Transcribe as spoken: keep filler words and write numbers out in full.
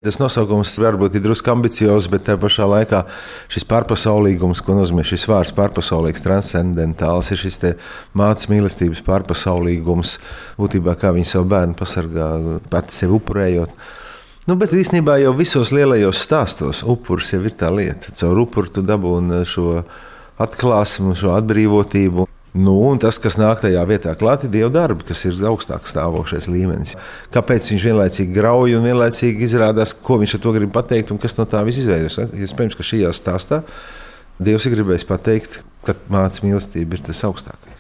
Tas nosaukums varbūt ir drusku ambiciozs, bet tajā pašā laikā šis pārpasaulīgums, ko nozīmē šis vārds pārpasaulīgs, transcendentāls, ir šis mātes mīlestības pārpasaulīgums, būtībā kā viņa savu bērnu pasargā, pati sevi upurējot. Nu, bet īstenībā jau visos lielajos stāstos upuris jau ir tā lieta. Caur upuru tu dabūni šo atklāsmu, šo atbrīvotību. Nu, un tas, kas nāk tajā vietā klāt, ir Dieva darbi, kas ir augstāk stāvošais līmenis. Kāpēc viņš vienlaicīgi grauj un vienlaicīgi izrādās, ko viņš ar to grib pateikt un kas no tā viss izveidojas? Iespējams, ka šajā stāstā Dievs ir gribējis pateikt, ka mātes mīlestība ir tas augstākais.